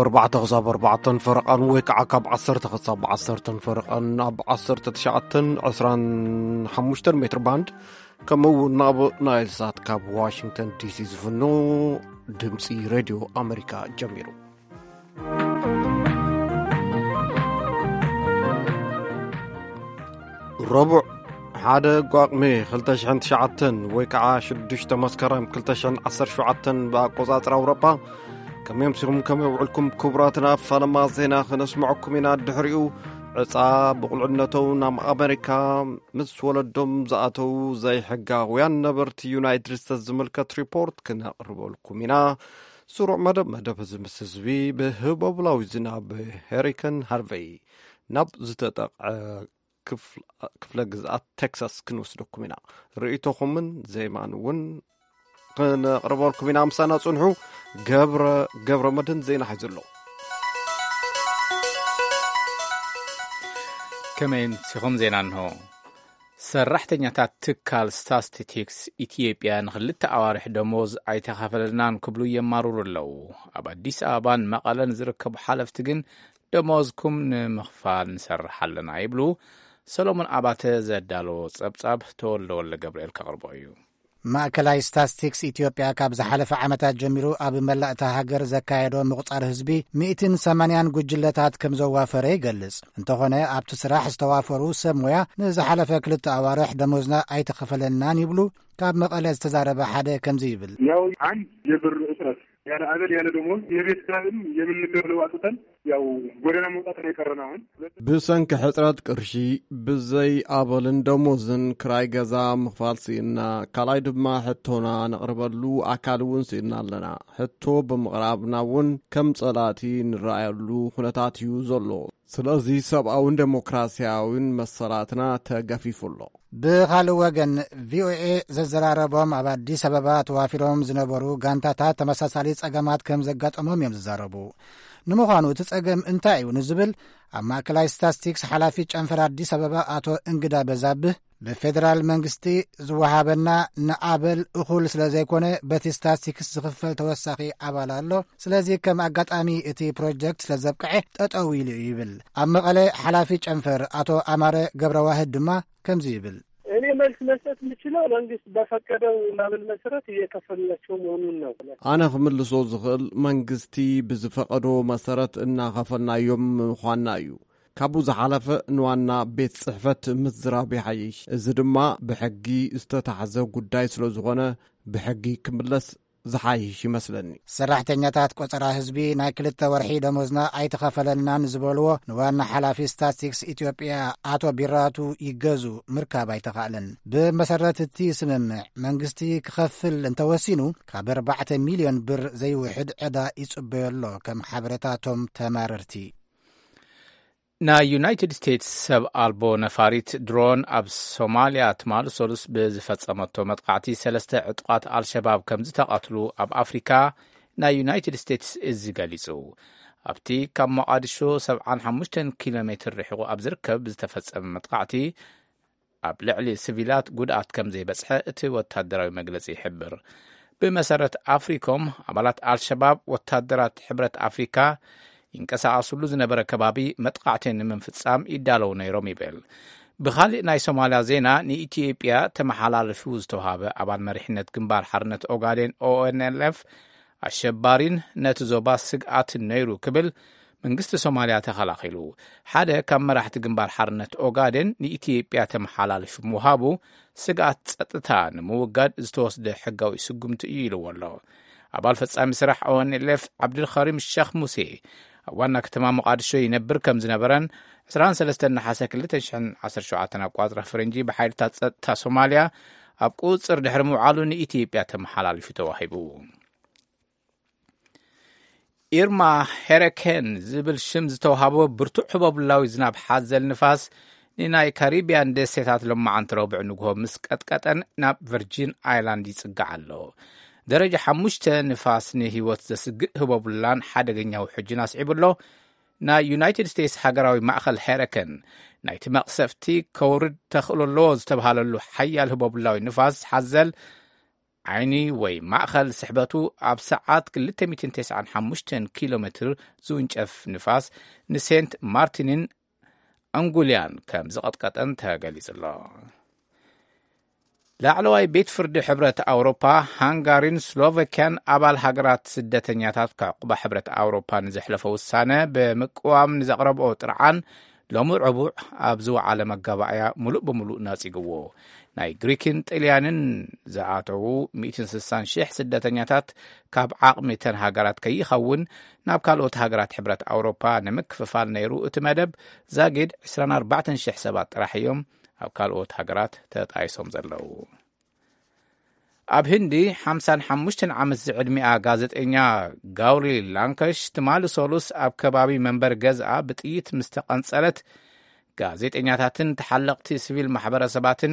ኣርባዕተ ክሳብ ኣርባዕተን ፈረቓን ወይ ከዓ ካብ ዓሰርተ ክሳብ ዓሰርተን ፈረቓን ኣብ ዓሰርተ ትሽዓተን ዕስራን ሓሙሽተን ሜትር ባንድ፣ ከምኡ እውን ናብ ናይል ሳት ካብ ዋሽንግተን ዲሲ ዝፍኖ ድምፂ ሬድዮ ኣሜሪካ ጀሚሩ። ረቡዕ ሓደ ጓቕሚ ክልተ ሽሕን ትሽዓተን ወይ ከዓ ሽዱሽተ መስከረም ክልተ ሽሕን ዓሰርተ ሸውዓተን ብኣቆጻጽራ ኣውሮጳ። ከመይ ኣምሲኹም፣ ከመይ ውዕልኩም ክቡራትና? ኣብ ፋለማ ዜና ክነስምዐኩም ኢና። ድሕሪኡ ዕጻ ብቑልዕነቶም ናብ ኣሜሪካ ምስ ወለዶም ዝኣተዉ ዘይሕጋውያን ነበርቲ ዩናይትድ ስቴትስ ዝምልከት ሪፖርት ክነቕርበልኩም ኢና። ስሩዕ መደብ፣ መደብ ህዝቢ ምስ ህዝቢ ብህቦብላዊ ዝናብ ሄሪከን ሃርቨይ ናብ ዝተጠቕዐ ክፍለ ግዝኣት ቴክሳስ ክንወስደኩም ኢና። ርእይቶኹምን ዜማን እውን ክነቕርበልኩም ኢና። ምሳና ጽንሑ። ገብረ፣ ገብረ መድህን ዜና ሒዙ ኣሎ። ከመይ ኣምሲኹም? ዜና እንሆ። ሰራሕተኛታት ትካል ስታስቲቲክስ ኢትዮጵያ ንኽልተ ኣዋርሕ ደሞዝ ኣይተኸፈለልናን ክብሉ የማርሩ ኣለዉ። ኣብ ኣዲስ ኣበባን መቐለን ዝርከቡ ሓለፍቲ ግን ደሞዝኩም ንምኽፋል ንሰርሕ ኣለና ይብሉ። ሰሎሞን ኣባተ ዘዳለዎ ጸብጻብ ተወልደ ወልደ ገብርኤል ከቕርቦ እዩ። ማእከላይ ስታስቲክስ ኢትዮጵያ ካብ ዝሓለፈ ዓመታት ጀሚሩ ኣብ መላእ እታ ሃገር ዘካየዶ ምቑጻር ህዝቢ ሚእትን ሰማንያን ጉጅለታት ከም ዘዋፈረ ይገልጽ። እንተኾነ ኣብቲ ስራሕ ዝተዋፈሩ ሰብ ሞያ ንዝሓለፈ ክልተ ኣዋርሕ ደሞዝና ኣይተኸፈለናን ይብሉ ካብ መቐለ ዝተዛረበ ሓደ ከምዚ ይብል። ያው አንድ የብር እጥረት፣ ያለ አበል ያለ ደሞዝ የቤት ኪራይም የምንከፍለው አጥተን ያው ጎዳና መውጣት ነው የቀረን። አሁን ብሰንኪ ሕጽረት ቅርሺ ብዘይ ኣበልን ደሞዝን ክራይ ገዛ ምኽፋል ስኢንና፣ ካልኣይ ድማ ሕቶና ነቕርበሉ ኣካል እውን ስኢንና ኣለና። ሕቶ ብምቕራብና እውን ከም ጸላእቲ ንረኣየሉ ኩነታት እዩ ዘሎ። ስለዚ ሰብኣውን ዴሞክራሲያውን መሰላትና ተገፊፉ ኣሎ። ብኻልእ ወገን ቪኦኤ ዘዘራረቦም ኣብ ኣዲስ ኣበባ ተዋፊሮም ዝነበሩ ጋንታታት ተመሳሳሊ ጸገማት ከም ዘጋጠሞም እዮም ዝዛረቡ። ንምዃኑ እቲ ጸገም እንታይ እዩ ንዝብል ኣብ ማእከላይ ስታስቲክስ ሓላፊ ጨንፈር ኣዲስ ኣበባ ኣቶ እንግዳ በዛብህ ብፌደራል መንግስቲ ዝወሃበና ንኣበል እኹል ስለ ዘይኮነ በቲ ስታስቲክስ ዝኽፈል ተወሳኺ ኣባል ኣሎ። ስለዚ ከም ኣጋጣሚ እቲ ፕሮጀክት ስለ ዘብቅዐ ጠጠው ኢሉ እዩ ይብል። ኣብ መቐለ ሓላፊ ጨንፈር ኣቶ ኣማረ ገብረዋህድ ድማ ከምዚ ይብል። እኔ መልስ መስጠት የምችለው መንግስት በፈቀደው ማብል መሰረት እየከፈልናቸው መሆኑን ነው። ኣነ ክምልሶ ዝኽእል መንግስቲ ብዝፈቐዶ መሰረት እናኸፈልናዮም ምዃንና እዩ። ካብኡ ዝሓለፈ ንዋና ቤት ጽሕፈት ምዝራብ ይሓይሽ። እዚ ድማ ብሕጊ ዝተታሕዘ ጉዳይ ስለ ዝኾነ ብሕጊ ክምለስ ዝሓይሽ ይመስለኒ። ሰራሕተኛታት ቆጸራ ህዝቢ ናይ ክልተ ወርሒ ደሞዝና ኣይተኸፈለናን ዝበልዎ ንዋና ሓላፊ ስታስቲክስ ኢትዮጵያ ኣቶ ቢራቱ ይገዙ ምርካብ ኣይተኻእለን። ብመሰረት እቲ ስምምዕ መንግስቲ ክኸፍል እንተወሲኑ ካብ ኣርባዕተ ሚልዮን ብር ዘይውሕድ ዕዳ ይጽበዮ ኣሎ ከም ሓበሬታቶም ተማረርቲ። ናይ ዩናይትድ ስቴትስ ሰብ ኣልቦ ነፋሪት ድሮን ኣብ ሶማልያ ትማሊ ሰሉስ ብዝፈጸመቶ መጥቃዕቲ ሰለስተ ዕጡቓት ኣልሸባብ ከም ዝተቐትሉ ኣብ ኣፍሪካ ናይ ዩናይትድ ስቴትስ እዚ ገሊጹ። ኣብቲ ካብ ሞቓዲሾ ሰብዓን ሓሙሽተን ኪሎ ሜትር ርሒቑ ኣብ ዝርከብ ዝተፈጸመ መጥቃዕቲ ኣብ ልዕሊ ስቪላት ጉድኣት ከም ዘይበጽሐ እቲ ወታደራዊ መግለጺ ይሕብር። ብመሰረት ኣፍሪኮም ኣባላት ኣልሸባብ ወታደራት ሕብረት ኣፍሪካ ይንቀሳቐስሉ ዝነበረ ከባቢ መጥቃዕቲ ንምፍጻም ይዳለዉ ነይሮም ይብል። ብኻሊእ ናይ ሶማልያ ዜና ንኢትዮጵያ ተመሓላልፉ ዝተዋሃበ ኣባል መሪሕነት ግንባር ሓርነት ኦጋዴን ኦኤንኤልኤፍ ኣሸባሪን ነቲ ዞባ ስግኣትን ነይሩ ክብል መንግስቲ ሶማልያ ተኸላኺሉ። ሓደ ካብ መራሕቲ ግንባር ሓርነት ኦጋዴን ንኢትዮጵያ ተመሓላልፉ ምውሃቡ ስግኣት ጸጥታ ንምውጋድ ዝተወስደ ሕጋዊ ስጉምቲ እዩ ኢልዎ ኣሎ። ኣባል ፈጻሚ ስራሕ ኦኤንኤልኤፍ ዓብድልኸሪም ሸኽ ሙሴ ኣብ ዋና ከተማ ሞቓዲሾ ይነብር ከም ዝነበረን ዕስራን ሰለስተን ነሓሰ ክልተ ሽሕን ዓሰርተ ሸውዓተን ኣቋጽራ ፈረንጂ ብሓይልታት ጸጥታ ሶማልያ ኣብ ቁጽር ድሕሪ ምውዓሉ ንኢትዮጵያ ተመሓላልፉ ተዋሂቡ። ኢርማ ሄረኬን ዝብል ሽም ዝተዋሃቦ ብርቱዕ ህቦብላዊ ዝናብ ሓዘል ንፋስ ንናይ ካሪቢያን ደሴታት ሎማዓንቲ ረቡዕ ንግሆ ምስ ቀጥቀጠን ናብ ቨርጂን ኣይላንድ ይጽጋዕ ኣሎ። ደረጃ ሓሙሽተ ንፋስ ንህይወት ዘስግእ ህቦብላን ሓደገኛ ውሕጅን ኣስዒቡ ኣሎ። ናይ ዩናይትድ ስቴትስ ሃገራዊ ማእኸል ሄረከን ናይቲ መቕሰፍቲ ከውርድ ተኽእሎ ኣለዎ ዝተብሃለሉ ሓያል ህቦብላዊ ንፋስ ሓዘል ዓይኒ ወይ ማእኸል ስሕበቱ ኣብ ሰዓት ክልተ ሚእትን ተስዓን ሓሙሽተን ኪሎ ሜትር ዝውንጨፍ ንፋስ ንሴንት ማርቲንን ኣንጉልያን ከም ዝቐጥቀጠን ተገሊጹ ኣሎ። ላዕለዋይ ቤት ፍርዲ ሕብረት ኣውሮፓ፣ ሃንጋሪን ስሎቫኪያን ኣባል ሃገራት ስደተኛታት ከዕቁባ ሕብረት ኣውሮፓ ንዘሕለፎ ውሳነ ብምቅዋም ንዘቕረብኦ ጥርዓን ሎሚ ረቡዕ ኣብ ዝወዓለ መጋባእያ ምሉእ ብምሉእ ነጺግዎ። ናይ ግሪክን ጥልያንን ዝኣተዉ ሚእትን ስሳን ሽሕ ስደተኛታት ካብ ዓቕሚ እተን ሃገራት ከይኸውን ናብ ካልኦት ሃገራት ሕብረት ኣውሮፓ ንምክፍፋል ነይሩ እቲ መደብ ዛጊድ ዕስራን ኣርባዕተን ሽሕ ሰባት ጥራሕ እዮም ኣብ ካልኦት ሃገራት ተጣይሶም ዘለዉ። ኣብ ህንዲ ሓምሳን ሓሙሽተን ዓመት ዝዕድሚኣ ጋዜጠኛ ጋውሪ ላንከሽ ትማሊ ሰሉስ ኣብ ከባቢ መንበሪ ገዝኣ ብጥይት ምስ ተቐንጸለት፣ ጋዜጠኛታትን ተሓለቕቲ ሲቪል ማሕበረሰባትን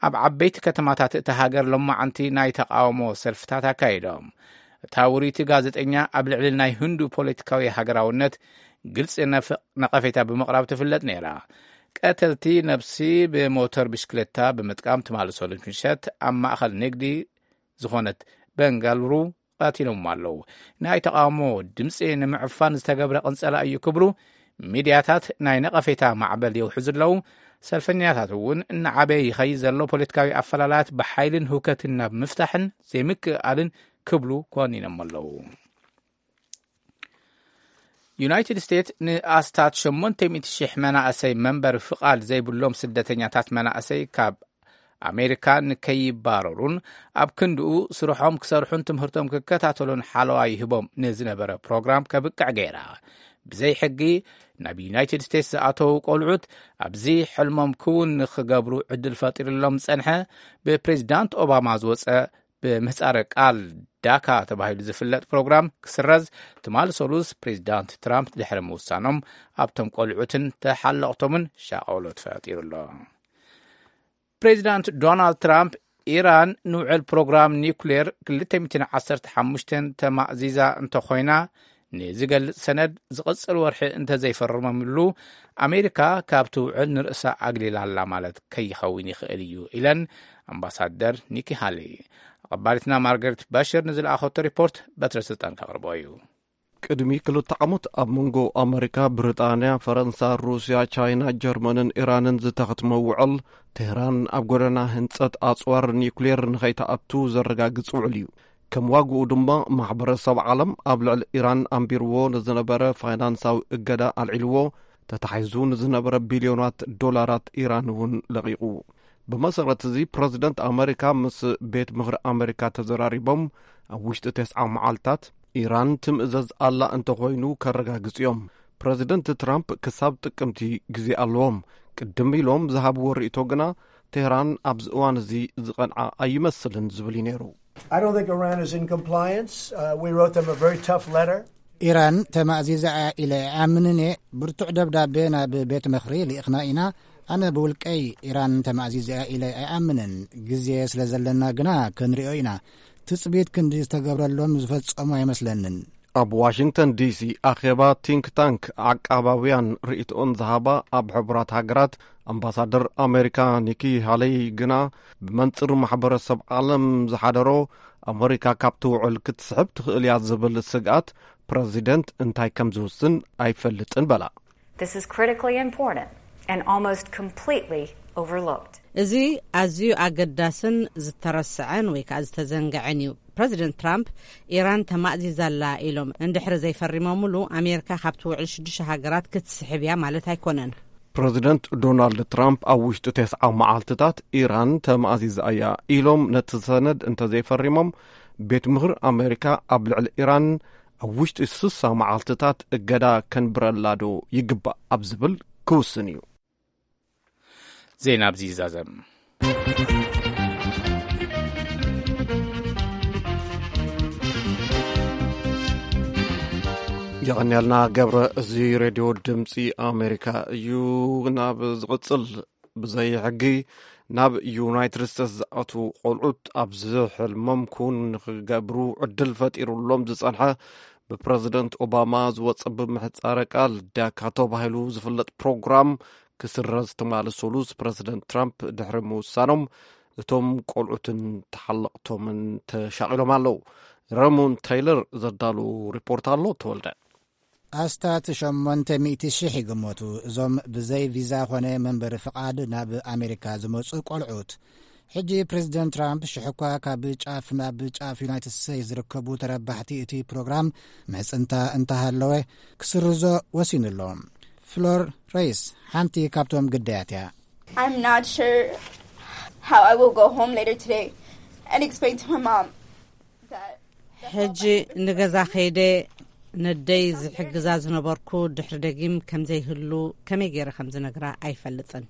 ኣብ ዓበይቲ ከተማታት እታ ሃገር ሎማዓንቲ ናይ ተቃውሞ ሰልፍታት ኣካይዶም። እታ ውርይቲ ጋዜጠኛ ኣብ ልዕሊ ናይ ህንዱ ፖለቲካዊ ሃገራውነት ግልጺ ነፍ-፣ ነቐፌታ ብምቕራብ ትፍለጥ ነይራ። ቀተልቲ ነብሲ ብሞተር ብሽክለታ ብምጥቃም ትማሊ ሰሉስ ምሸት ኣብ ማእኸል ንግዲ ዝኾነት በንጋሉሩ ቀቲሎምዋ ኣለዉ። ናይ ተቓውሞ ድምፂ ንምዕፋን ዝተገብረ ቅንፀላ እዩ ክብሉ ሚድያታት ናይ ነቐፌታ ማዕበል የውሕዙ ኣለዉ። ሰልፈኛታት እውን እናዓበየ ይኸይድ ዘሎ ፖለቲካዊ ኣፈላላያት ብሓይልን ህውከትን ናብ ምፍታሕን ዘይምክእኣልን ክብሉ ኮኒኖም ኣለዉ። ዩናይትድ ስቴትስ ንኣስታት ሸሞንተ ሚእቲ ሽሕ መናእሰይ መንበሪ ፍቓድ ዘይብሎም ስደተኛታት መናእሰይ ካብ ኣሜሪካ ንከይባረሩን ኣብ ክንድኡ ስርሖም ክሰርሑን ትምህርቶም ክከታተሉን ሓለዋ ይህቦም ንዝነበረ ፕሮግራም ከብቅዕ ገይራ። ብዘይ ሕጊ ናብ ዩናይትድ ስቴትስ ዝኣተዉ ቆልዑት ኣብዚ ሕልሞም ክውን ንክገብሩ ዕድል ፈጢሩሎም ዝጸንሐ ብፕሬዚዳንት ኦባማ ዝወጸ ብምህጻረ ቃል ዳካ ተባሂሉ ዝፍለጥ ፕሮግራም ክስረዝ ትማሊ ሰሉስ ፕሬዚዳንት ትራምፕ ድሕሪ ምውሳኖም ኣብቶም ቆልዑትን ተሓለቕቶምን ሻቐሎት ፈጢሩ ኣሎ። ፕሬዚዳንት ዶናልድ ትራምፕ ኢራን ንውዕል ፕሮግራም ኒውክሌር ክልተ ሚእትን ዓሰርተ ሓሙሽተን ተማእዚዛ እንተኾይና ንዝገልጽ ሰነድ ዝቕጽል ወርሒ እንተዘይፈረመምሉ ኣሜሪካ ካብቲ ውዕል ንርእሳ ኣግሊላ ኣላ ማለት ከይኸውን ይኽእል እዩ ኢለን ኣምባሳደር ኒኪ ሃሊ። ኣቐባሊትና ማርጋሬት ባሽር ንዝለኣኸቶ ሪፖርት በትረ ስልጣን ከቕርቦ እዩ። ቅድሚ ክልተ ዓመት ኣብ መንጎ ኣመሪካ፣ ብሪጣንያ፣ ፈረንሳ፣ ሩስያ፣ ቻይና፣ ጀርመንን ኢራንን ዝተኸትመ ውዕል፣ ቴህራን ኣብ ጎደና ህንጸት ኣጽዋር ኒውክሌር ንኸይትኣቱ ዘረጋግጽ ውዕል እዩ። ከም ዋግኡ ድማ፣ ማሕበረሰብ ዓለም ኣብ ልዕሊ ኢራን ኣንቢርዎ ንዝነበረ ፋይናንሳዊ እገዳ ኣልዒልዎ፣ ተታሒዙ ንዝነበረ ቢልዮናት ዶላራት ኢራን እውን ለቒቑ። ብመሰረት እዚ፣ ፕረዚደንት ኣመሪካ ምስ ቤት ምኽሪ ኣመሪካ ተዘራሪቦም፣ ኣብ ውሽጢ ተስዓ መዓልታት ኢራን ትምእዘዝ ኣላ እንተኾይኑ ከረጋግጹ እዮም። ፕረዚደንት ትራምፕ ክሳብ ጥቅምቲ ግዜ ኣለዎም። ቅድም ኢሎም ዝሃብዎ ርእይቶ ግና፣ ቴህራን ኣብዚ እዋን እዚ ዝቐንዓ ኣይመስልን ዝብል እዩ ነይሩ። I don't think Iran is in compliance. Uh, we wrote them a very tough letter. ኢራን ተማእዚዛ እያ ኢለ ኣይኣምንን እየ። ብርቱዕ ደብዳቤ ናብ ቤት ምኽሪ ልኢኽና ኢና። ኣነ ብውልቀይ ኢራን ተማእዚዛ እያ ኢለ ኣይኣምንን። ግዜ ስለ ዘለና ግና ክንሪኦ ኢና። ትጽቢት ክንዲ ዝተገብረሎም ዝፈጸሙ ኣይመስለንን። ኣብ ዋሽንግተን ዲሲ ኣኼባ ቲንክ ታንክ ዓቃባውያን ርእይቶኦን ዝሃባ ኣብ ሕቡራት ሃገራት ኣምባሳደር ኣሜሪካ ኒኪ ሃለይ ግና፣ ብመንጽር ማሕበረሰብ ዓለም ዝሓደሮ ኣመሪካ ካብቲ ውዕል ክትስሕብ ትኽእል እያ ዝብል ስግኣት ፕረዚደንት እንታይ ከም ዝውስን ኣይፈልጥን በላ። This is critically important and almost completely overlooked. እዚ ኣዝዩ ኣገዳስን ዝተረስዐን ወይ ከኣ ዝተዘንግዐን እዩ። ፕረዚደንት ትራምፕ ኢራን ተማእዚዛ ኣላ ኢሎም እንድሕሪ ዘይፈሪሞምሉ፣ ኣሜሪካ ካብቲ ውዕል ሽዱሽተ ሃገራት ክትስሕብ እያ ማለት ኣይኮነን። ፕረዚደንት ዶናልድ ትራምፕ ኣብ ውሽጢ ተስዓ መዓልትታት ኢራን ተማእዚዛ እያ ኢሎም ነቲ ሰነድ እንተዘይፈሪሞም፣ ቤት ምኽሪ ኣሜሪካ ኣብ ልዕሊ ኢራን ኣብ ውሽጢ ስሳ መዓልትታት እገዳ ከንብረላ ዶ ይግባእ ኣብ ዝብል ክውስን እዩ። ዜና ኣብዚ ይዛዘም። የቐንያልና ገብረ፣ እዚ ሬድዮ ድምፂ ኣሜሪካ እዩ። ናብ ዝቕፅል ብዘይ ሕጊ ናብ ዩናይትድ ስቴትስ ዝኣትዉ ቆልዑት ኣብዚ ሕልሞም ክውን ንኽገብሩ ዕድል ፈጢሩሎም ዝጸንሐ ብፕረዚደንት ኦባማ ዝወጸ ብምሕጻረ ቃል ዳካ ተባሂሉ ዝፍለጥ ፕሮግራም ክስረዝ ትማሊ ሰሉስ ፕረዚደንት ትራምፕ ድሕሪ ምውሳኖም እቶም ቆልዑትን ተሓለቕቶምን ተሻቒሎም ኣለዉ። ረሞን ታይለር ዘዳሉ ሪፖርት ኣሎ። ተወልደ። ኣስታት ሸሞንተ ሚእቲ ሽሕ ይግመቱ እዞም ብዘይ ቪዛ ኾነ መንበሪ ፍቓድ ናብ ኣሜሪካ ዝመጹ ቆልዑት። ሕጂ ፕሬዚደንት ትራምፕ ሽሕ እኳ ካብ ጫፍ ናብ ጫፍ ዩናይትድ ስቴትስ ዝርከቡ ተረባሕቲ እቲ ፕሮግራም ምሕጽንታ እንተሃለወ ክስርዞ ወሲኑ ኣሎ። ፍሎር ሬይስ ሓንቲ ካብቶም ግዳያት እያ። I'm not sure how I will go home later today and explain to my mom that ሕጂ ንገዛ ከይደ ነደይ ዝሕግዛ ዝነበርኩ ድሕሪ ደጊም ከምዘይህሉ ከመይ ገይረ ከም ዝነግራ ኣይፈልጥን።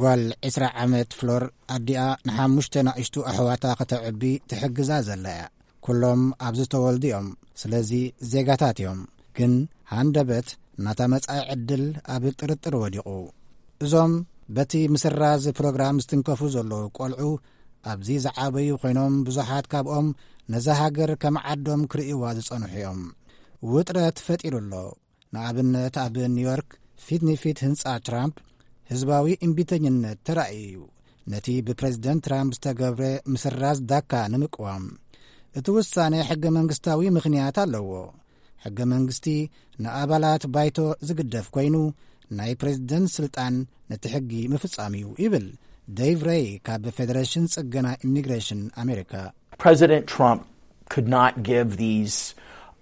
ጓል ዕስራ ዓመት ፍሎር ኣዲኣ ንሓሙሽተ ናእሽቱ ኣሕዋታ ከተዕቢ ትሕግዛ ዘላ እያ። ኩሎም ኣብዚ ዝተወልዱ እዮም። ስለዚ ዜጋታት እዮም። ግን ሃንደበት ናታ መጻኢ ዕድል ኣብ ጥርጥር ወዲቑ። እዞም በቲ ምስራዝ ፕሮግራም ዝትንከፉ ዘለዉ ቆልዑ ኣብዚ ዝዓበዩ ኮይኖም ብዙሓት ካብኦም ነዛ ሃገር ከም ዓዶም ክርእይዋ ዝጸንሑ እዮም። ውጥረት ፈጢሩ ኣሎ። ንኣብነት ኣብ ኒውዮርክ ፊት ንፊት ህንጻ ትራምፕ ህዝባዊ እምቢተኝነት ተራእዩ እዩ። ነቲ ብፕሬዝደንት ትራምፕ ዝተገብረ ምስራዝ ዳካ ንምቅዋም እቲ ውሳነ ሕገ መንግስታዊ ምኽንያት ኣለዎ። ሕገ መንግስቲ ንኣባላት ባይቶ ዝግደፍ ኮይኑ ናይ ፕሬዝደንት ስልጣን ነቲ ሕጊ ምፍጻም እዩ ይብል ዴቭ ሬይ ካብ ፌደሬሽን ጽገና ኢሚግሬሽን ኣሜሪካ። President Trump could not give these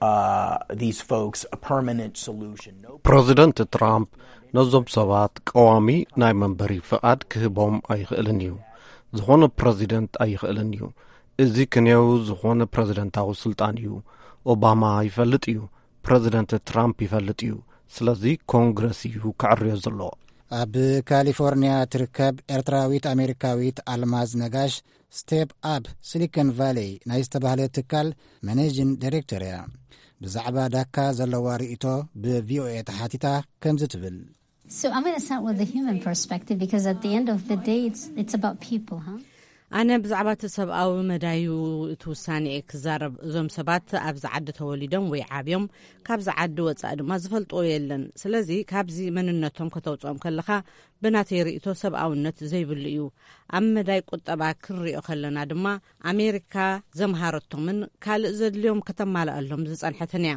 uh, these folks a permanent solution. No. ፕሬዚደንት ትራምፕ ነዞም ሰባት ቀዋሚ ናይ መንበሪ ፍቓድ ክህቦም ኣይኽእልን እዩ። ዝኾነ ፕሬዚደንት ኣይኽእልን እዩ። እዚ ክንየው ዝኾነ ፕሬዚደንታዊ ስልጣን እዩ። ኦባማ ይፈልጥ እዩ። ፕሬዚደንት ትራምፕ ይፈልጥ እዩ። ስለዚ ኮንግረስ እዩ ክዕርዮ ዘለዎ። ኣብ ካሊፎርኒያ ትርከብ ኤርትራዊት ኣሜሪካዊት ኣልማዝ ነጋሽ ስቴፕ ኣፕ ሲሊኮን ቫሌይ ናይ ዝተባህለ ትካል ማኔጂን ዳይሬክተር እያ። ብዛዕባ ዳካ ዘለዋ ርእይቶ ብቪኦኤ ተሓቲታ ከምዚ ትብል። So I'm going to start with the human perspective because at the end of the day, it's, it's about people, huh? ኣነ ብዛዕባ እቲ ሰብኣዊ መዳዩ እቲ ውሳኔ እየ ክዛረብ። እዞም ሰባት ኣብዚ ዓዲ ተወሊዶም ወይ ዓብዮም፣ ካብዚ ዓዲ ወጻኢ ድማ ዝፈልጥዎ የለን። ስለዚ ካብዚ መንነቶም ከተውጽኦም ከለኻ ብናተይ ርእይቶ ሰብኣውነት ዘይብሉ እዩ። ኣብ መዳይ ቁጠባ ክንሪኦ ከለና ድማ ኣሜሪካ ዘምሃረቶምን ካልእ ዘድልዮም ከተማልኣሎም ዝጸንሐትን እያ።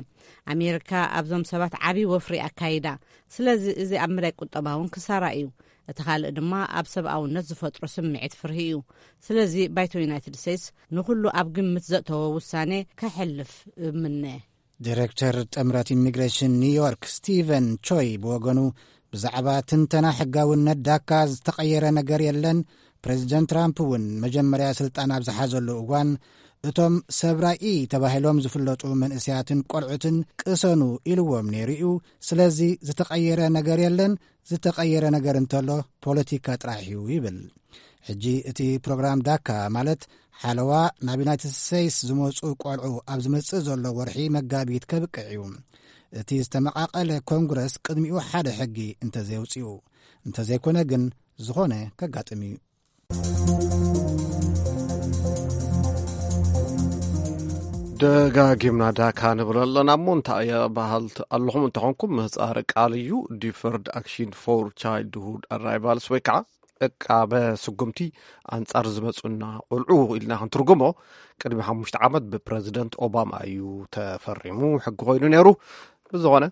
ኣሜሪካ ኣብዞም ሰባት ዓቢ ወፍሪ ኣካይዳ። ስለዚ እዚ ኣብ መዳይ ቁጠባ እውን ክሳራ እዩ። እቲ ካልእ ድማ ኣብ ሰብኣውነት ዝፈጥሮ ስምዒት ፍርሂ እዩ። ስለዚ ባይቶ ዩናይትድ ስቴትስ ንኹሉ ኣብ ግምት ዘእተወ ውሳኔ ከሕልፍ እምነ። ዲሬክተር ጥምረት ኢሚግሬሽን ኒውዮርክ ስቲቨን ቾይ ብወገኑ ብዛዕባ ትንተና ሕጋውነት ዳካ ዝተቐየረ ነገር የለን። ፕሬዚደንት ትራምፕ እውን መጀመርያ ስልጣን ኣብ ዝሓዘሉ እዋን እቶም ሰብ ራኢ ተባሂሎም ዝፍለጡ መንእሰያትን ቆልዑትን ቅሰኑ ኢልዎም ነይሩ እዩ። ስለዚ ዝተቐየረ ነገር የለን። ዝተቐየረ ነገር እንተሎ ፖለቲካ ጥራሕ እዩ ይብል። ሕጂ እቲ ፕሮግራም ዳካ ማለት ሓለዋ ናብ ዩናይትድ ስቴትስ ዝመጹ ቆልዑ ኣብ ዝመጽእ ዘሎ ወርሒ መጋቢት ከብቅዕ እዩ። እቲ ዝተመቓቐለ ኮንግረስ ቅድሚኡ ሓደ ሕጊ እንተዘየውጽኡ፣ እንተዘይኮነ ግን ዝኾነ ከጋጥም እዩ። ደጋጊምና ዳካ ንብል ኣለና እሞ እንታይ እየ በሃልቲ ኣለኹም እንተኾንኩም ምህፃር ቃል እዩ። ዲፈርድ ኣክሽን ፎር ቻይልድሁድ ኣራይቫልስ ወይ ከዓ ዕቃበ ስጉምቲ ኣንጻር ዝመፁና ቆልዑ ኢልና ክንትርጉሞ ቅድሚ ሓሙሽተ ዓመት ብፕረዚደንት ኦባማ እዩ ተፈሪሙ ሕጊ ኮይኑ ነይሩ። ብዝኾነ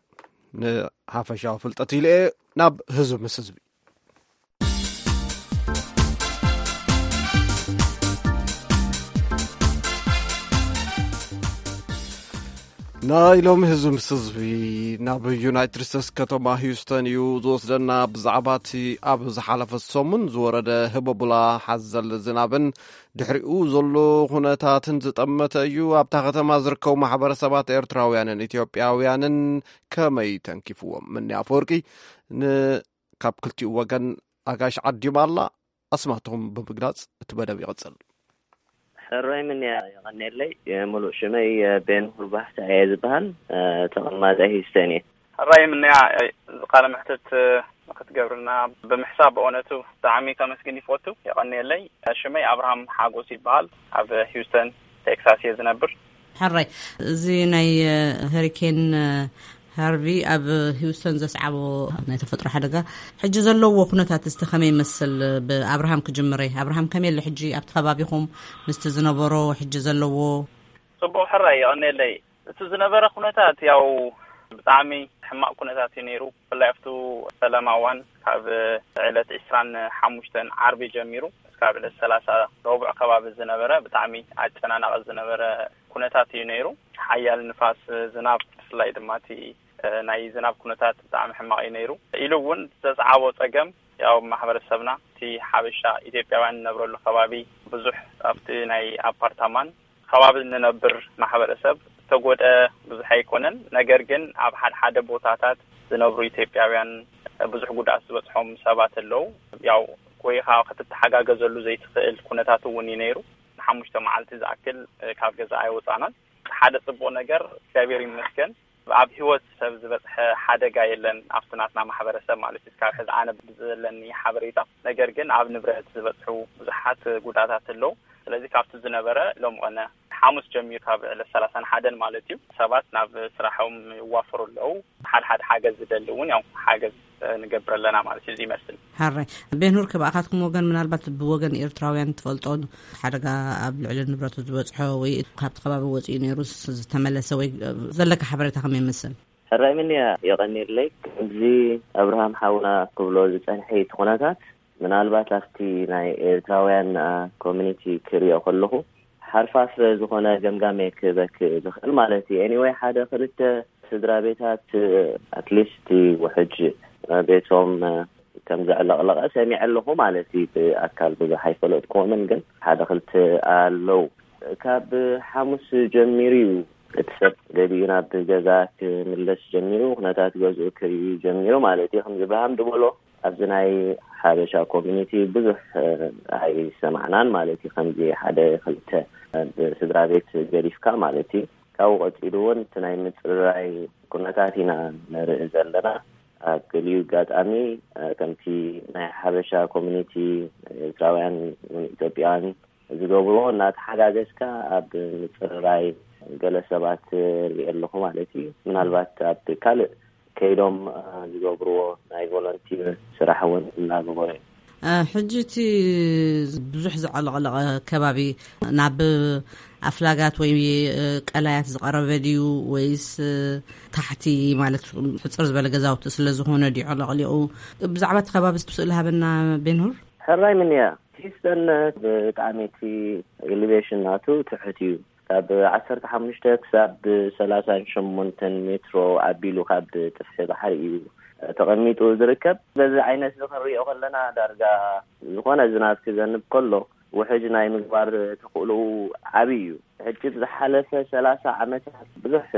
ንሓፈሻዊ ፍልጠት ኢለ እየ ናብ ህዝቢ ምስ ህዝቢ ናይ ሎሚ ህዝቢ ምስ ህዝቢ ናብ ዩናይትድ ስቴትስ ከተማ ሂውስተን እዩ ዝወስደና። ብዛዕባ እቲ ኣብ ዝሓለፈ ሰሙን ዝወረደ ህበቡላ ሓዘል ዝናብን ድሕሪኡ ዘሎ ኩነታትን ዝጠመተ እዩ። ኣብታ ከተማ ዝርከቡ ማሕበረሰባት ኤርትራውያንን ኢትዮጵያውያንን ከመይ ተንኪፍዎም? ምኒ ኣፈወርቂ ን ካብ ክልቲኡ ወገን ኣጋይሽ ዓዲማ ኣላ። ኣስማቶም ብምግላጽ እቲ መደብ ይቕጽል። ሕራይ ምንያ የቐኔለይ። ሙሉእ ሽመይ ቤንሁር ባሕታ እየ ዝበሃል። ተቐማጠ ሂስተን እየ። ሕራይ ምንያ፣ እዚ ቃለ መሕትት ንክትገብርልና ብምሕሳብ ብእውነቱ ብጣዕሚ ከመስግን ይፈቱ። የቐኔለይ። ሽመይ ኣብርሃም ሓጎስ ይበሃል። ኣብ ሂውስተን ቴክሳስ እየ ዝነብር። ሕራይ፣ እዚ ናይ ሄሪኬን ሃርቪ ኣብ ሂውስተን ዘስዓቦ ናይ ተፈጥሮ ሓደጋ፣ ሕጂ ዘለዎ ኩነታት እስቲ ከመይ ይመስል? ብኣብርሃም ክጅምረ። ኣብርሃም፣ ከመይ ኣሎ ሕጂ ኣብቲ ከባቢኹም ምስቲ ዝነበሮ ሕጂ ዘለዎ? ጽቡቕ ሕራይ፣ የቐንየለይ። እቲ ዝነበረ ኩነታት ያው ብጣዕሚ ሕማቕ ኩነታት እዩ ነይሩ። ብፍላይ ኣብቱ ሰላም ኣዋን ካብ ዕለት ዕስራን ሓሙሽተን ዓርቢ ጀሚሩ እስካብ ዕለት ሰላሳ ረቡዕ ከባቢ ዝነበረ ብጣዕሚ ኣጨናናቒ ዝነበረ ኩነታት እዩ ነይሩ። ሓያል ንፋስ፣ ዝናብ፣ ብፍላይ ድማ እቲ ናይ ዝናብ ኩነታት ብጣዕሚ ሕማቕ እዩ ነይሩ። ኢሉ እውን ዘስዓቦ ጸገም ያው ማሕበረሰብና እቲ ሓበሻ ኢትዮጵያውያን ንነብረሉ ከባቢ ብዙሕ ኣብቲ ናይ ኣፓርታማን ከባቢ ንነብር ማሕበረሰብ ዝተጎድአ ብዙሕ ኣይኮነን። ነገር ግን ኣብ ሓደ ሓደ ቦታታት ዝነብሩ ኢትዮጵያውያን ብዙሕ ጉድኣት ዝበፅሖም ሰባት ኣለዉ። ያው ኮይኻ ክትተሓጋገዘሉ ዘይትኽእል ኩነታት እውን እዩ ነይሩ። ንሓሙሽተ መዓልቲ ዝኣክል ካብ ገዛ ኣይወፃናን። ሓደ ፅቡቕ ነገር እግዚኣብሔር ይመስገን ኣብ ህይወት ሰብ ዝበፅሐ ሓደጋ የለን ኣብቲ ናትና ማሕበረሰብ ማለት እዩ። እስካብ ሕዚ ኣነ ብዘለኒ ሓበሬታ፣ ነገር ግን ኣብ ንብረት ዝበፅሑ ብዙሓት ጉድኣታት ኣለዉ። ስለዚ ካብቲ ዝነበረ ሎም ቀነ ሓሙስ ጀሚሩ ካብ ዕለት ሰላሳን ሓደን ማለት እዩ ሰባት ናብ ስራሖም ይዋፈሩ ኣለዉ። ሓደ ሓደ ሓገዝ ዝደሊ እውን ያው ሓገዝ ንገብር ኣለና ማለት እዩ። እዚ ይመስል። ሓራይ። ቤንሁር፣ ክብኣኻትኩም ወገን ምናልባት ብወገን ኤርትራውያን ትፈልጦ ሓደጋ ኣብ ልዕሊ ንብረቱ ዝበፅሖ ወይ ካብቲ ከባቢ ወፂኡ ነይሩ ዝተመለሰ ወይ ዘለካ ሓበሬታ ከመይ ይመስል? ሕራይ ምንያ፣ የቐኒለይ። ከምዚ ኣብርሃም ሓውና ክብሎ ዝጸንሐ እቲ ኩነታት ምናልባት ኣብቲ ናይ ኤርትራውያን ኮሚኒቲ ክሪኦ ከለኹ ሓርፋፍ ዝኾነ ገምጋም ክበክ ዝኽእል ማለት እዩ። ኤኒወይ ሓደ ክልተ ስድራ ቤታት ኣትሊስት ውሕጅ ቤቶም ከም ዘዕለቕለቐ ሰሚዐ ኣለኹ ማለት እዩ። ብኣካል ብዙሕ ኣይፈለጥኩዎምን፣ ግን ሓደ ክልተ ኣለዉ። ካብ ሓሙስ ጀሚሩ እዩ እቲ ሰብ ገሊኡ ናብ ገዛ ክምለስ ጀሚሩ፣ ኩነታት ገዝኡ ክርኢ ጀሚሩ ማለት እዩ። ከምዚ ብርሃም ዝበሎ ኣብዚ ናይ ሓበሻ ኮሚኒቲ ብዙሕ ኣይሰማዕናን ማለት እዩ። ከምዚ ሓደ ክልተ ስድራ ቤት ገዲፍካ ማለት እዩ። ካብኡ ቀፂሉ እውን እቲ ናይ ምፅርራይ ኩነታት ኢና ንርኢ ዘለና። ኣብ ገሊኡ ኣጋጣሚ ከምቲ ናይ ሓበሻ ኮሚኒቲ ኤርትራውያን ኢትዮጵያን ዝገብርዎ እናተሓጋገዝካ ኣብ ምፅርራይ ገለ ሰባት ርኢ ኣለኹ ማለት እዩ። ምናልባት ኣብ ካልእ ከይዶም ዝገብርዎ ናይ ቮለንቲር ስራሕ እውን እናገበሩ እዮም። ሕጂ እቲ ብዙሕ ዘዕለቕለቐ ከባቢ ናብ ኣፍላጋት ወይ ቀላያት ዝቐረበ ድዩ ወይስ ታሕቲ ማለት ሕፅር ዝበለ ገዛውቲ ስለ ዝኾነ ድዩ ዕለቕሊቑ? ብዛዕባ እቲ ከባቢ ስእሊ ሃበና ቤንሁር። ሕራይ ምንያ፣ ሂውስተን ብጣዕሚ እቲ ኤሊቬሽን ናቱ ትሑት እዩ። ካብ ዓሰርተ ሓሙሽተ ክሳብ ሰላሳን ሸሞንተን ሜትሮ ኣቢሉ ካብ ጥፍሒ ባሕሪ እዩ ተቐሚጡ ዝርከብ። በዚ ዓይነት እዚ ክንሪኦ ከለና ዳርጋ ዝኾነ ዝናብ ክዘንብ ከሎ ውሕጅ ናይ ምግባር ተኽእሎኡ ዓብዪ እዩ። ሕጂ ብዝሓለፈ ሰላሳ ዓመታት ብዙሕ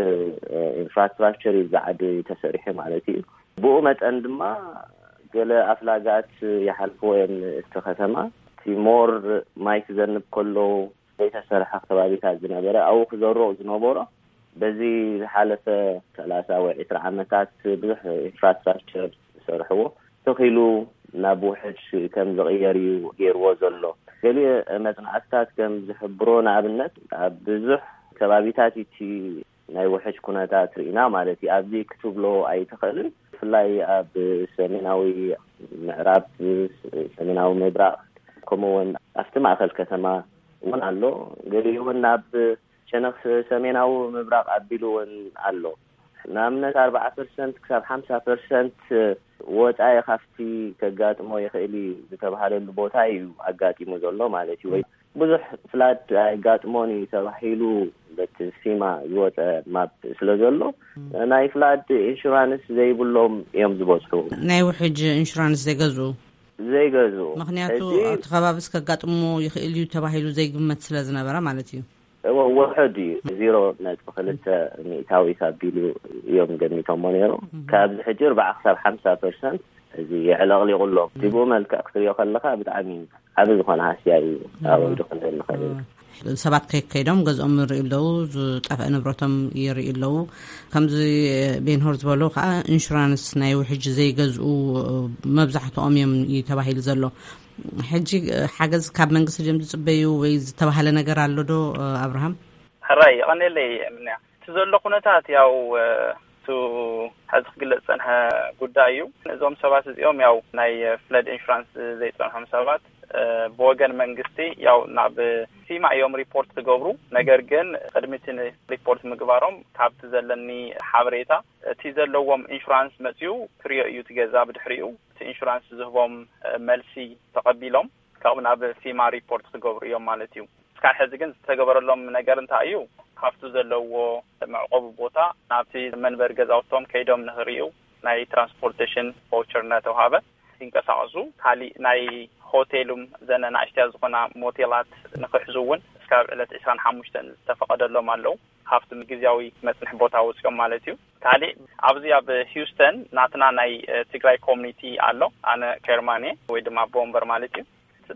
ኢንፍራስትራክቸር እዩ ኣብዚ ዓዲ ተሰሪሑ ማለት እዩ። ብኡ መጠን ድማ ገለ ኣፍላጋት ይሓልፍዎ እዮም እቲ ከተማ። እቲ ሞር ማይ ክዘንብ ከሎ ዘይተሰርሐ ከባቢታት ዝነበረ ኣብኡ ክዘርኡ ዝነበሮ በዚ ዝሓለፈ ሰላሳ ወይ ዕስራ ዓመታት ብዙሕ ኢንፍራስትራክቸር ዝሰርሕዎ ተኺሉ ናብ ውሕጅ ከም ዝቕየር እዩ ገይርዎ ዘሎ። ገሊኡ መጽናዕትታት ከም ዝሕብሮ ንኣብነት ኣብ ብዙሕ ከባቢታት እቲ ናይ ውሕጅ ኩነታት ርኢና ማለት እዩ። ኣብዚ ክትብሎ ኣይትኽእልን። ብፍላይ ኣብ ሰሜናዊ ምዕራብ፣ ሰሜናዊ ምብራቕ፣ ከምኡ እውን ኣብቲ ማእኸል ከተማ እውን ኣሎ። ገሊኡ እውን ናብ ሸነኽ ሰሜናዊ ምብራቕ ኣቢሉ እውን ኣሎ። ንኣብነት ኣርባዓ ፐርሰንት ክሳብ ሓምሳ ፐርሰንት ወፃኢ ካብቲ ከጋጥሞ ይኽእል እዩ ዝተባሃለሉ ቦታ እዩ ኣጋጢሙ ዘሎ ማለት እዩ። ወይ ብዙሕ ፍላድ ኣይጋጥሞን እዩ ተባሂሉ በቲ ፊማ ዝወፀ ማፕ ስለ ዘሎ ናይ ፍላድ ኢንሹራንስ ዘይብሎም እዮም ዝበዝሑ። ናይ ውሕጅ ኢንሹራንስ ዘይገዝኡ? ዘይገዝኡ። ምኽንያቱ ሕጂ ኣብቲ ከባቢስ ከጋጥሞ ይኽእል እዩ ተባሂሉ ዘይግመት ስለ ዝነበረ ማለት እዩ። እወ፣ ውሑድ እዩ። ዜሮ ነጥቢ ክልተ ሚእታዊት ኣቢሉ እዮም ገሚቶሞ ነይሩ። እህ። ካብዚ ሕጂ ኣርባዓ ክሳብ ሓምሳ ፐርሰንት እዚ የዕለቕሊቑ ኣሎ። እቲ ብኡ መልክዕ ክትሪኦ ከለኻ ብጣዕሚ ዓቢ ዝኾነ ሃስያ እዩ። እህ። ኣወርዱ ክንብል ንኽእል ኢና። እህ። ሰባት ከይከይዶም ገዝኦም ይርእዩ ኣለዉ፣ ዝጠፍአ ንብረቶም ይርእዩ ኣለዉ። ከምዚ ቤንሆር ዝበሎ ከዓ ኢንሹራንስ ናይ ውሕጅ ዘይገዝኡ መብዛሕትኦም እዮም እዩ ተባሂሉ ዘሎ። ሕጂ ሓገዝ ካብ መንግስቲ ድዮም ዝጽበዩ ወይ ዝተባህለ ነገር ኣሎ ዶ ኣብርሃም? ሕራይ፣ የቐንየለይ ምንያ። እቲ ዘሎ ኩነታት ያው፣ እ፣ እቱ ሕዚ ክግለጽ ዝጸንሐ ጉዳይ እዩ። እዞም ሰባት እዚኦም ያው ናይ ፍለድ ኢንሹራንስ ዘይጸንሖም ሰባት፣ እ፣ ብወገን መንግስቲ ያው ናብ ፊማ እዮም ሪፖርት ክገብሩ። ነገር ግን ቅድሚ እቲ ሪፖርት ምግባሮም ካብቲ ዘለኒ ሓበሬታ እቲ ዘለዎም ኢንሹራንስ መጺኡ ክሪኦ እዩ እቲ ገዛ። ብድሕሪኡ እቲ ኢንሹራንስ ዝህቦም፣ እ፣ መልሲ ተቐቢሎም ካብኡ ናብ ፊማ ሪፖርት ክገብሩ እዮም ማለት እዩ። እስካብ ሕዚ ግን ዝተገበረሎም ነገር እንታይ እዩ? ካብቲ ዘለዎ መዕቆቢ ቦታ ናብቲ መንበሪ ገዛውቶም ከይዶም ንኽርእዩ ናይ ትራንስፖርቴሽን ቫውቸር እናተውሃበ ይንቀሳቐሱ። ካሊእ ናይ ሆቴሉም ዘነ ናእሽትያ ዝኾና ሞቴላት ንኽሕዙ እውን እስካብ ዕለት ዕስራን ሓሙሽተን ዝተፈቐደሎም ኣለዉ። ካብቲ ግዝያዊ መጽንሒ ቦታ ወፂኦም ማለት እዩ። ካሊእ ኣብዚ ኣብ ሂውስተን ናትና ናይ፣ እ፣ ትግራይ ኮሚኒቲ ኣሎ። ኣነ ቸርማን እየ ወይ ድማ ኣቦ ወንበር ማለት እዩ።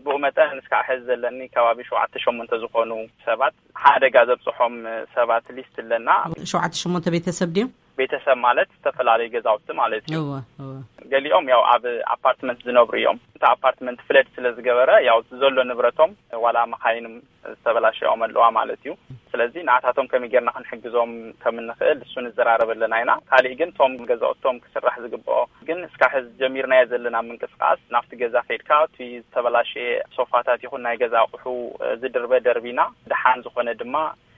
ብኡ መጠን እስካብ ሕዚ ዘለኒ ከባቢ ሸውዓተ ሸሞንተ ዝኾኑ ሰባት፣ ሓደጋ ዘብፅሖም ሰባት ሊስት ኣለና። ሸውዓተ ሸሞንተ ቤተሰብ ድዮም? ቤተሰብ ማለት ዝተፈላለዩ ገዛውቲ ማለት እዩ። እወ፣ እወ። ገሊኦም ያው ኣብ ኣፓርትመንት ዝነብሩ እዮም። እቲ ኣፓርትመንት ፍለድ ስለ ዝገበረ ያው ዘሎ ንብረቶም ዋላ መኻይንም ዝተበላሸኦም ኣለዋ ማለት እዩ። ስለዚ ንኣታቶም ከመይ ጌርና ክንሕግዞም ከም እንኽእል እሱ ንዘራረብ ኣለና ኢና። ካሊእ ግን እቶም ገዛውቶም ክስራሕ ዝግብኦ ግን እስካብ ሕዚ ጀሚርናዮ ዘለና ምንቅስቃስ ናብቲ ገዛ ከይድካ እቲ ዝተበላሸየ ሶፋታት ይኹን ናይ ገዛ ኣቑሑ፣ እ፣ ዝድርበ ደርቢና፣ ደሓን ዝኾነ ድማ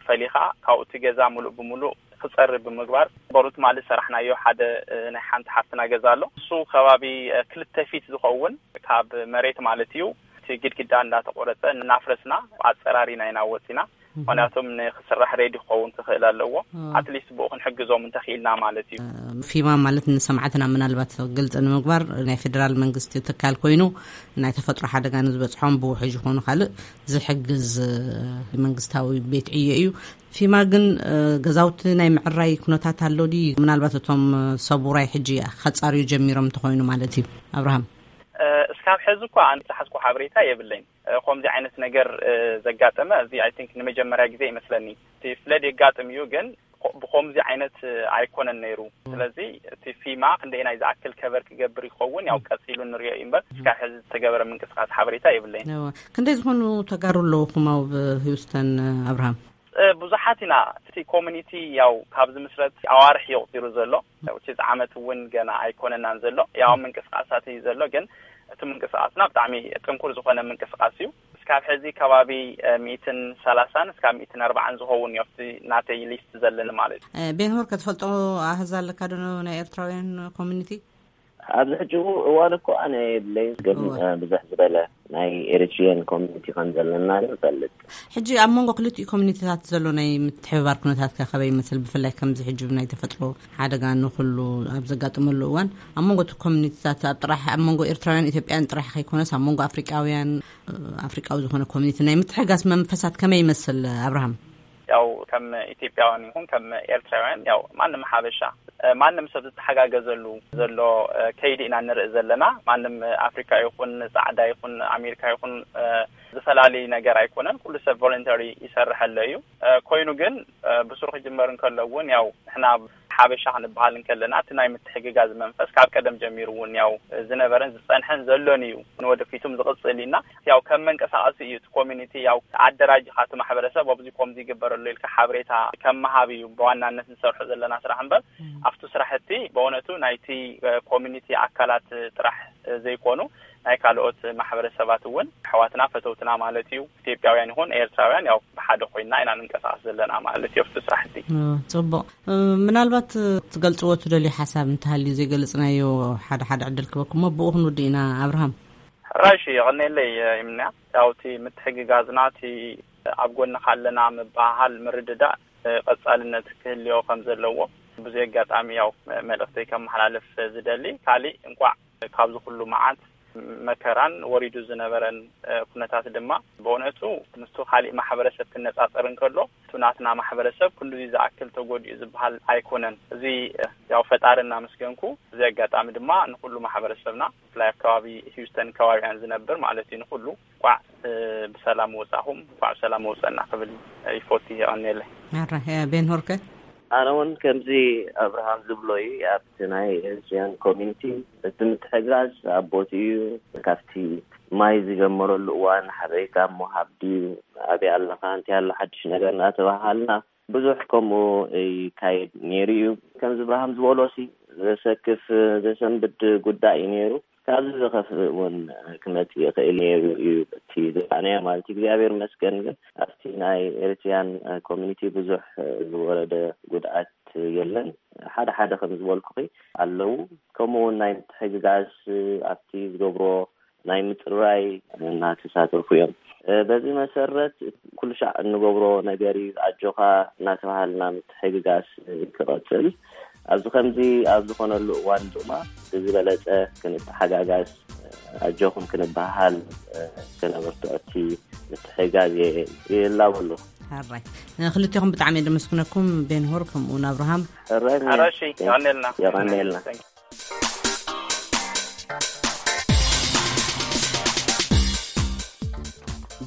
ፈሊኻ ካብኡ እቲ ገዛ ሙሉእ ብሙሉእ ክጸሪ ብምግባር በሩ ትማሊ ዝሰራሕናዮ ሓደ፣ እ፣ ናይ ሓንቲ ሓፍትና ገዛ ኣሎ። እሱ ከባቢ፣ እ፣ ክልተ ፊት ዝኸውን ካብ መሬት ማለት እዩ እቲ ግድግዳ እንዳተቆረጸ እናፍረስና ኣጸራሪና ኢና ወጺና። ምኽንያቱም ንክስራሕ ሬዲ ክኸውን ክኽእል ኣለዎ። ኣትሊስት ብኡ ክንሕግዞም እንተኽኢልና ማለት እዩ። ፊማ ማለት ንሰማዕትና ምናልባት ግልፂ ንምግባር ናይ ፌዴራል መንግስቲ ትካል ኮይኑ ናይ ተፈጥሮ ሓደጋ ንዝበፅሖም ብውሕጅ ይኾኑ ካልእ ዝሕግዝ፣ እ፣ መንግስታዊ ቤት ዕዮ እዩ። ፊማ ግን፣ እ፣ ገዛውቲ ናይ ምዕራይ ኩነታት ኣሎ ድዩ? ምናልባት እቶም፣ እ፣ ሰብ ውራይ ሕጂ ከፃርዩ ጀሚሮም እንተኾይኑ ማለት እዩ። ኣብርሃም። እ፣ እስካብ ሕዚ እኳ ኣነ ዝሓዝኩ ሓበሬታ የብለይን። እ፣ ከምዚ ዓይነት ነገር፣ እ፣ ዘጋጠመ እዚ ኣይ ቲንክ ንመጀመርያ ግዜ ይመስለኒ። እቲ ፍለድ የጋጥም እዩ፣ ግን ኮ-፣ ብኸምዚ ዓይነት፣ እ፣ ኣይኮነን ነይሩ። ስለዚ እቲ ፊማ ክንደየናይ ዝኣክል ከቨር ክገብር ይኸውን ያው ቀፂሉ ንሪኦ እዩ እምበር እስካብ ሕዚ ዝተገበረ ምንቅስቃስ ሓበሬታ የብለይን። እወ። ክንደይ ዝኾኑ ተጋሩ ኣለውኹም ኣብ ሂውስተን፣ ኣብርሃም? እ፣ ብዙሓት ኢና። እቲ ኮሚኒቲ ያው ካብ ዝምስረት ኣዋርሕ እዩ ቁፂሩ ዘሎ። ያው እቲ ዓመት እውን ገና ኣይኮነናን ዘሎ። ያው ምንቅስቃሳት እዩ ዘሎ፣ ግን እቲ ምንቅስቃስና ብጣዕሚ ጥንኩር ዝኾነ ምንቅስቃስ እዩ። እስካብ ሕዚ ከባቢ፣ እ፣ ሚእትን ሰላሳን እስካብ ሚእትን ኣርባዓን ዝኸውን እዩ ኣብቲ ናተይ ሊስት ዘለኒ ማለት እዩ። እ፣ ቤንሆር፣ ከትፈልጦ ኣህዛ ኣለካ ዶ ናይ ኤርትራውያን ኮሚኒቲ? ኣብዚ ሕጂ እዋን እኮ ኣነ የብለይን፣ ግን፣ እወ። እ፣ ብዝሕ ዝበለ ናይ ኤሪትሪያን ኮሚኒቲ ከም ዘለና ንፈልጥ። ሕጂ ኣብ መንጎ ክልቲኡ ኮሚኒቲታት ዘሎ ናይ ምትሕብባር ኩነታት ከ ከመይ ይመስል? ብፍላይ ከምዚ ሕጂ ናይ ተፈጥሮ ሓደጋ ንኹሉ ኣብ ዘጋጥመሉ እዋን ኣብ መንጎ እቲ ኮሚኒቲታት ኣብ ጥራሕ ኣብ መንጎ ኤርትራውያን ኢትዮጵያን ጥራሕ ከይኮነስ ኣብ መንጎ ኣፍሪቃውያን፣ እ፣ ኣፍሪቃዊ ዝኾነ ኮሚኒቲ ናይ ምትሕጋዝ መንፈሳት ከመይ ይመስል ኣብርሃም? ያው ከም ኢትዮጵያውያን ይኹን ከም ኤርትራውያን ያው ማንም ሓበሻ፣ እ፣ ማንም ሰብ ዝተሓጋገዘሉ ዘሎ፣ እ፣ ከይዲ ኢና ንርኢ ዘለና። ማንም፣ እ፣ ኣፍሪካ ይኹን ጻዕዳ ይኹን ኣሜሪካ ይኹን፣ እ፣ ዝፈላለዩ ነገር ኣይኮነን። ኩሉ ሰብ ቮለንተሪ ይሰርሐለ እዩ። እ፣ ኮይኑ ግን፣ እ፣ ብሱሩ ክጅመር እንከሎ እውን ያው ንሕና ሓበሻ ክንበሃል እንከለና እቲ ናይ ምትሕግጋዝ መንፈስ ካብ ቀደም ጀሚሩ እውን ያው ዝነበረን ዝጸንሐን ዘሎን እዩ። ንወደፊቱም ዝቕጽል ኢና። ያው ከም መንቀሳቐሲ እዩ እቲ ኮሚኒቲ ያው ኣደራጅኻ እቲ ማሕበረሰብ ኣብዚ ከምዚ ይግበረሉ ኢልካ ሓበሬታ ከም ምሃብ እዩ ብዋናነት ንሰርሖ ዘለና ስራሕ እምበር ኣብቲ ስራሕቲ ብእውነቱ ናይቲ፣ እ፣ ኮሚኒቲ ኣካላት ጥራሕ፣ እ፣ ዘይኮኑ ናይ ካልኦት ማሕበረሰባት እውን ኣሕዋትና ፈተውትና ማለት እዩ። ኢትዮጵያውያን ይኹን ኤርትራውያን ያው ብሓደ ኮይና ኢና ንንቀሳቐስ ዘለና ማለት እዩ ኣብቲ ስራሕቲ። እ፣ ጽቡቕ። እ፣ ምናልባት፣ እ፣ ትገልጽዎ ትደልዩ ሓሳብ እንተሃልዩ ዘይገለጽናዮ ሓደ ሓደ ዕድል ክበኩም እሞ ብኡ ክንውድእ ኢና ኣብርሃም። ሕራይ እሺ፣ የቐንየለይ፣ እ፣ ይምንያ። ያው እቲ ምትሕግጋዝና፣ እቲ ኣብ ጎንኻ ኣለና ምብሃሃል፣ ምርድዳእ፣ እ፣ ቀጻልነት ክህልዮ ከም ዘለዎ ብዙ ኣጋጣሚ ያው መልእኽተይ ከመሓላልፍ ዝደሊ። ካሊእ እንቋዕ ካብዚ ኩሉ መዓት መከራን ወሪዱ ዝነበረን፣ እ፣ ኩነታት ድማ ብእውነቱ ምስቱ ካሊእ ማሕበረሰብ ክነጻጸር እንከሎ፣ እቲ ናትና ማሕበረሰብ ክንድዚ ዝኣክል ተጎዲኡ ዝበሃል ኣይኮነን። እዚ፣ እ፣ ያው ፈጣሪ እናመስገንኩ፣ እዚ ኣጋጣሚ ድማ ንኹሉ ማሕበረሰብና፣ ብፍላይ ኣብ ከባቢ ሂውስተን ከባቢኣን ዝነብር ማለት እዩ፣ ንኹሉ እንቋዕ፣ እ፣ ብሰላም ወጻኹም፣ እንቋዕ ብሰላም ወጸና ክብል ይፎቲ። የቐንየለይ። ኣረ፣ እ፣ ቤንሆርከ? ኣነ እውን ከምዚ ኣብርሃም ዝብሎ እዩ። ኣብቲ ናይ ኤርትሪያን ኮሚኒቲ እቲ ምትሕግጋዝ ኣብ ቦትኡ እዩ። ካብቲ ማይ ዝጀመረሉ እዋን ሓበሬታ ምሃብ ድዩ፣ ኣበይ ኣለኻ፣ እንታይ ኣሎ ሓድሽ ነገር እናተባሃልና ብዙሕ ከምኡ ይካየድ ነይሩ እዩ። ከምዚ ብርሃም ዝበሎ ሲ ዘሰክፍ ዘሰንብድ ጉዳይ እዩ ነይሩ። ካብዚ ዝኸፍእ እውን ክመጽእ ይኽእል ነይሩ እዩ እቲ ዝረኣናዮ ማለት እዩ። እግዚኣብሔር ይመስገን ግን ኣብቲ ናይ ኤሪትሪያን ኮሚኒቲ ብዙሕ ዝወረደ ጉድኣት የለን። ሓደ ሓደ ከም ዝበልኩኺ ኣለዉ። ከምኡ እውን ናይ ምትሕግጋዝ ኣብቲ ዝገብሮ ናይ ምጽራይ እናተሳተፉ እዮም። በዚ መሰረት ኩሉ ሻዕ እንገብሮ ነገር እዩ። ኣጆኻ እናተባሃልና ምትሕግጋዝ ክቐጽል ኣብዚ ከምዚ ኣብ ዝኾነሉ እዋን ድማ ብዝበለጸ ክንተሓጋጋዝ ኣጆኹም ክንበሃል ክነብርትዖ እቲ ምትሕግጋዝ ይላበሉ። ሓራይ ንክልቴኹም ብጣዕሚ የደመስግነኩም ቤንሆር ከምኡ እውን ኣብርሃም። ሕራይ ሕራይ እሺ፣ የቐንየልና። የቐንየልና።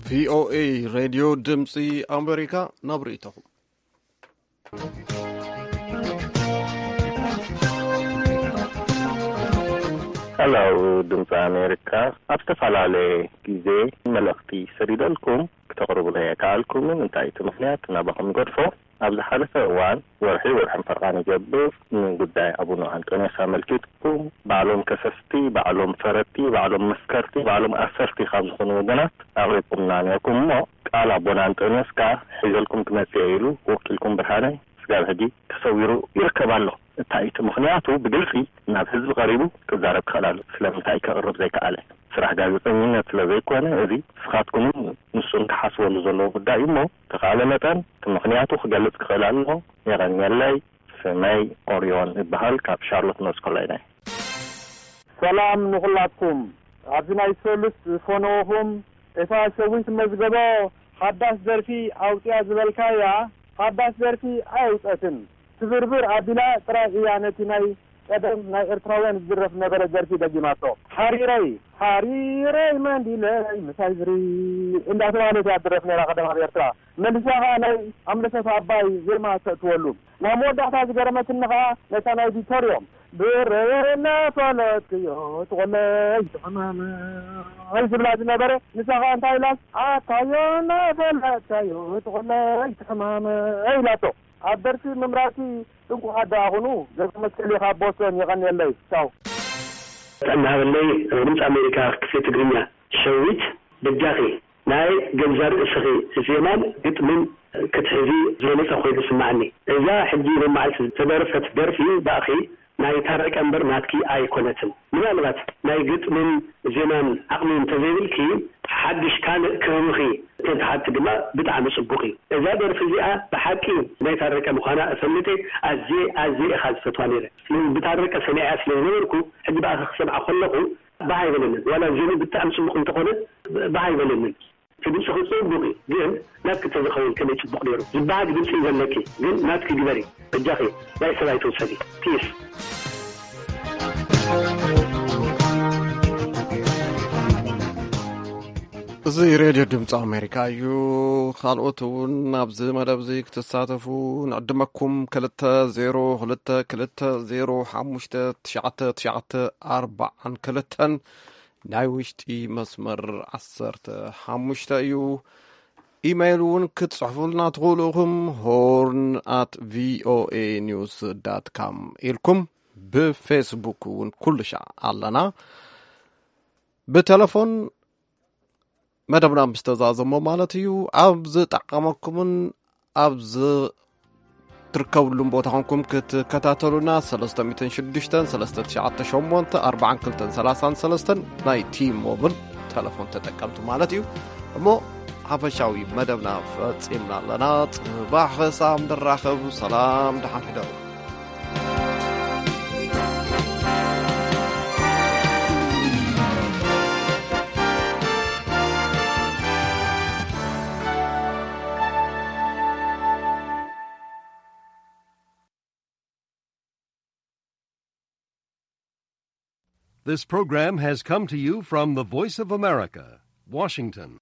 ቪኦኤ ሬድዮ ድምፂ ኣሜሪካ ናብ ርእይቶኹም። ሄሎ ድምፂ ኣሜሪካ፣ ኣብ ዝተፈላለየ ግዜ መልእኽቲ ሰዲደልኩም ክተቕርቡለይ ኣይከኣልኩምን። እንታይ እቲ ምኽንያት ናባኹም ይገድፎ። ኣብ ዝሓለፈ እዋን ወርሒ ወርሕን ፈርቓን ይገብር ንጉዳይ ኣቡነ ኣንጦንዮስ ኣመልኪትኩም ባዕሎም ከሰስቲ፣ ባዕሎም ፈረድቲ፣ ባዕሎም መስከርቲ፣ ባዕሎም ኣሰርቲ ካብ ዝኾኑ ወገናት ኣቕሪብኩምና ነርኩም እሞ ቃል ኣቦና ኣንጦንዮስ ከኣ ሒዘልኩም ክመጽእ ኢሉ ወኪልኩም ብርሃነ ስጋብ ሕጂ ተሰዊሩ ይርከብ ኣሎ። እንታይ እቲ ምኽንያቱ ብግልጺ ናብ ህዝቢ ቀሪቡ ክዛረብ ክኽእል ኣሎ። ስለምንታይ ከቕርብ ዘይከኣለ? ስራሕ ጋዜጠኝነት ስለ ዘይኮነ፣ እዚ ንስኻትኩምን ንሱን ክሓስበሉ ዘለዎ ጉዳይ እዩ እሞ፣ ተኻእለ መጠን እቲ ምኽንያቱ ክገልጽ ክኽእል ኣለኹ። የቐንየለይ። ስመይ ኦርዮን እበሃል፣ ካብ ሻርሎት ኖርዝ ካሮላይና እየ። ሰላም ንኹላትኩም። ኣብዚ ናይ ሰሉስ ፈነወኹም፣ እታ ሸዊት መዝገቦ ሓዳሽ ደርፊ ኣውጽያ ዝበልካያ፣ ሓዳሽ ደርፊ ኣየውጸትን። ስብርብር ኣቢላ ጥራይ እያ ነቲ ናይ ቀደም ናይ ኤርትራውያን ዝድረፍ ነበረ ደርፊ ደጊማቶ። ሓሪረይ፣ ሓሪረይ መንዲለይ ምሳይ ዝሪ እንዳተባህለት እያ ትድረፍ ነይራ ቀደም ኣብ ኤርትራ። መልሳ ኸኣ ናይ ኣምለሰት ኣባይ ዜማ ተእትወሉ። ናብ መወዳእታ ዝገረመትኒ ኸኣ ነታ ናይ ቪክቶርዮም ብረየ እናፈለጥክዮ ትቖለይ ትሕማመይ ዝብላ ዝነበረ፣ ንሳ ኸኣ እንታይ ኢላስ ኣታዮ እናፈለጥካዮ ትቖለይ ትሕማመይ ኢላቶ። ኣብ ደርፊ ምምራጽኪ እንቋዕ ደኣ ኹኑ። ገብረመስቀል እየ ካብ ቦስተን፣ የቐንየለይ። ቻው። ጥዕና ሃበለይ ድምፂ ኣሜሪካ ክፍሊ ትግርኛ። ሸዊት በጃኺ ናይ ገዛ ርእስኺ ዜማን ግጥምን ክትሕዚ ዝበለጸ ኮይኑ ዝስምዓኒ። እዛ ሕጂ ሎማዓልቲ ዝተደርፈት ደርፊ ባእኺ ናይ ታረቀ እምበር ናትኪ ኣይኮነትን። ምናልባት ናይ ግጥምን ዜማን ዓቕሚ እንተዘይብልኪ ሓድሽ ካልእ ክህብኺ እንተትሓቲ ድማ ብጣዕሚ ጽቡቕ እዩ። እዛ ደርፊ እዚኣ ብሓቂ ናይ ታረቀ ምዃና እፈልጥ እየ። ኣዝየ ኣዝየ ኢኻ ዝፈትዋ ነይረ። ስለዚ ብታረቀ ሰሚዐያ ስለ ዝነበርኩ ሕጂ ብኣኺ ክሰምዓ ከለኹ ባህ ኣይበለንን። ዋላ ዜሙ ብጣዕሚ ጽቡቕ እንተኾነ ባህ ኣይበለንን። እቲ ድምፅኺ ጽቡቕ እዩ፣ ግን ናትኪ እንተዝኸውን ከመይ ጽቡቕ ነይሩ። ዝበሃግ ድምፂ እዩ ዘለኪ፣ ግን ናትኪ ግበሪ በጃኺ። ናይ ሰብ ኣይትውሰዲ። ፒስ። እዚ ሬድዮ ድምፂ ኣሜሪካ እዩ። ካልኦት እውን ኣብዚ መደብ እዚ ክትሳተፉ ንዕድመኩም። ክልተ ዜሮ ክልተ ክልተ ዜሮ ሓሙሽተ ትሽዓተ ትሽዓተ ኣርባዓን ክልተን ናይ ውሽጢ መስመር ዓሰርተ ሓሙሽተ እዩ። ኢሜይል እውን ክትጽሕፉልና ትኽእሉ ኢኹም። ሆርን ኣት ቪኦኤ ኒውስ ዳት ካም ኢልኩም። ብፌስቡክ እውን ኩሉ ሻዕ ኣለና። ብቴሌፎን መደብና ምስ ተዛዘሞ ማለት እዩ። ኣብ ዝጠዓመኩምን ኣብ ዝትርከብሉን ቦታ ኾንኩም ክትከታተሉና ሰለስተ ሚእትን ሽዱሽተን ሰለስተ ትሽዓተ ሸሞንተ ኣርባዓን ክልተን ሰላሳን ሰለስተን ናይ ቲ ሞብል ተለፎን ተጠቀምቲ ማለት እዩ። እሞ ሓፈሻዊ መደብና ፈጺምና ኣለና። ጽባሕ ክሳብ ንራኸብ ሰላም ደሓን ሕደሩ። This program has come to you from the Voice of America, Washington.